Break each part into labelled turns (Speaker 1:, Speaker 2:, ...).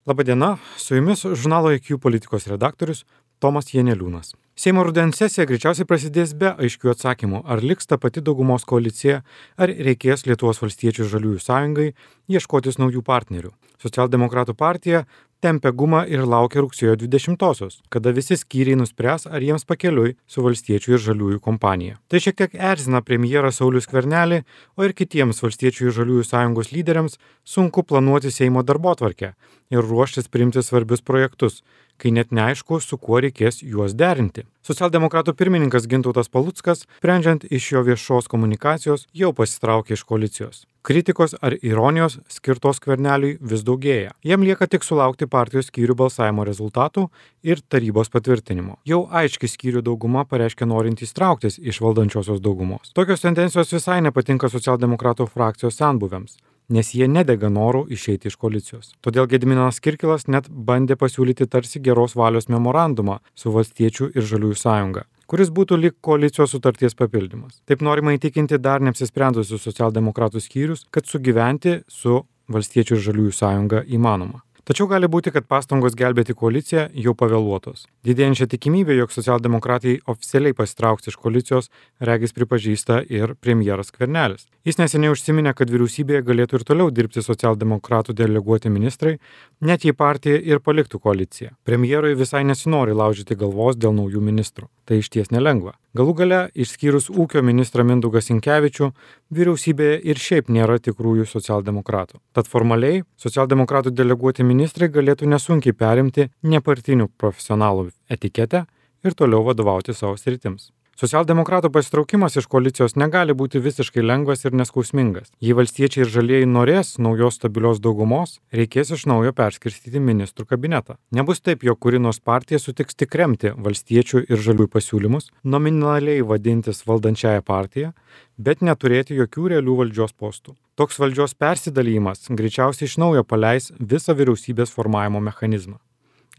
Speaker 1: Labadiena, su jumis žurnalo IQ politikos redaktorius Tomas Janeliūnas. Seimo rudens sesija greičiausiai prasidės be aiškių atsakymų, ar liks ta pati daugumos koalicija, ar reikės Lietuvos valstiečių ir žaliųjų sąjungai ieškotis naujų partnerių. Socialdemokratų partija tempia gumą ir laukia rugsėjo 20-osios, kada visi skyriai nuspręs, ar jiems pakeliui su valstiečių ir žaliųjų kompanija. Tai šiek tiek erzina premjerą Saulių Skvernelį, o ir kitiems valstiečių ir žaliųjų sąjungos lyderiams sunku planuoti Seimo darbotvarkę ir ruoštis priimti svarbius projektus, kai net neaišku, su kuo reikės juos derinti. Socialdemokratų pirmininkas Gintautas Paluckas, sprendžiant iš jo viešos komunikacijos, jau pasitraukė iš koalicijos. Kritikos ar ironijos skirtos Skverneliui vis daugėja. Jam lieka tik sulaukti partijos skyrių balsavimo rezultatų ir tarybos patvirtinimo. Jau aiški skyrių dauguma pareiškė norintys trauktis iš valdančiosios daugumos. Tokios tendencijos visai nepatinka socialdemokratų frakcijos senbuviams, nes jie nedega norų išeiti iš koalicijos. Todėl Gediminas Kirkilas net bandė pasiūlyti tarsi geros valios memorandumą su valstiečių ir žaliųjų sąjunga, kuris būtų lyg koalicijos sutarties papildymas. Taip norima įtikinti dar neapsisprendusius socialdemokratų skyrius, kad sugyventi su valstiečių ir žaliųjų sąjunga įmanoma. Tačiau gali būti, kad pastangos gelbėti koaliciją jau pavėluotos. Didėjančia tikimybė, jog socialdemokratai oficialiai pasitrauks iš koalicijos, regis pripažįsta ir premjeras Skvernelis. Jis neseniai užsiminė, kad vyriausybėje galėtų ir toliau dirbti socialdemokratų deleguoti ministrai, net jei partija ir paliktų koaliciją. Premjerui visai nesinori laužyti galvos dėl naujų ministrų. Tai išties nelengva. Galų gale, išskyrus ūkio ministrą Mindaugą Sinkevičių, vyriausybėje ir šiaip nėra tikrųjų socialdemokratų. Tad formaliai socialdemokratų deleguoti ministrai galėtų nesunkiai perimti nepartinių profesionalų etiketę ir toliau vadovauti savo sritims. Socialdemokratų pasitraukimas iš koalicijos negali būti visiškai lengvas ir neskausmingas. Jei valstiečiai ir žalieji norės naujos stabilios daugumos, reikės iš naujo perskirstyti ministrų kabinetą. Nebus taip, jog kuri nors partija sutiks tik remti valstiečių ir žaliųjų pasiūlymus, nominaliai vadintis valdančiąją partiją, bet neturėti jokių realių valdžios postų. Toks valdžios persidalymas greičiausiai iš naujo paleis visą vyriausybės formavimo mechanizmą,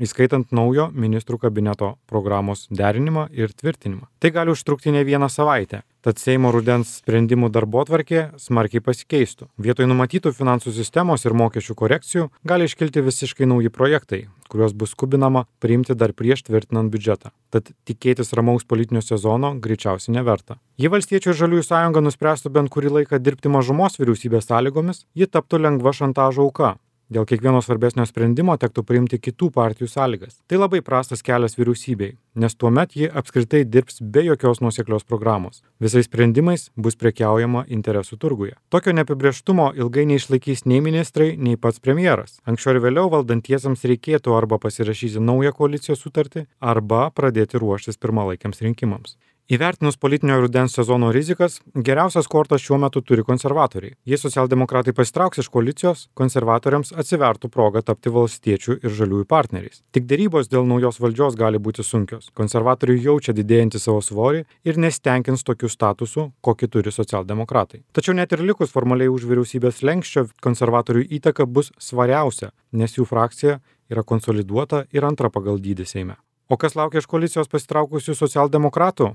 Speaker 1: įskaitant naujo ministrų kabineto programos derinimą ir tvirtinimą. Tai gali užtrukti ne vieną savaitę, tad Seimo rudens sprendimų darbotvarkė smarkiai pasikeistų. Vietoj numatytų finansų sistemos ir mokesčių korekcijų gali iškilti visiškai nauji projektai, kuriuos bus skubinama priimti dar prieš tvirtinant biudžetą. Tad tikėtis ramaus politinio sezono greičiausiai neverta. Jei valstiečių ir žaliųjų sąjunga nuspręstų bent kurį laiką dirbti mažumos vyriausybės sąlygomis, ji taptų lengva šantažo auka. Dėl kiekvieno svarbesnio sprendimo tektų priimti kitų partijų sąlygas. Tai labai prastas kelias vyriausybei, nes tuomet ji apskritai dirbs be jokios nuoseklios programos. Visais sprendimais bus prekiaujama interesų turguje. Tokio neapibrėžtumo ilgai neišlaikys nei ministrai, nei pats premjeras. Anksčiau ir vėliau valdantiesiems reikėtų arba pasirašyti naują koalicijos sutartį, arba pradėti ruoštis pirmalaikiams rinkimams. Įvertinus politinio rudens sezono rizikas, geriausias kortas šiuo metu turi konservatoriai. Jei socialdemokratai pasitrauks iš koalicijos, konservatoriams atsivertų proga tapti valstiečių ir žaliųjų partneriais. Tik derybos dėl naujos valdžios gali būti sunkios. Konservatoriai jaučia didėjantį savo svorį ir nestenkins tokiu statusu, kokį turi socialdemokratai. Tačiau net ir likus formaliai už vyriausybės slenksčio, konservatorių įtaka bus svariausia, nes jų frakcija yra konsoliduota ir antra pagal dydį Seime. O kas laukia iš koalicijos pasitraukusių socialdemokratų?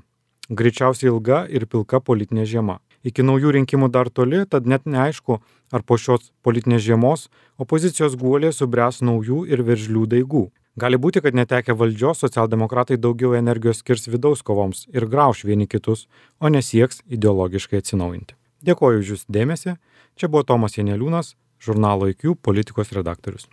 Speaker 1: Greičiausiai ilga ir pilka politinė žiema. Iki naujų rinkimų dar toli, tad net neaišku, ar po šios politinės žiemos opozicijos guolė subręs naujų ir veržlių daigų. Gali būti, kad netekę valdžios socialdemokratai daugiau energijos skirs vidaus kovoms ir grauš vieni kitus, o nesieks ideologiškai atsinaujinti. Dėkoju už jūsų dėmesį. Čia buvo Tomas Janeliūnas, žurnalo IQ politikos redaktorius.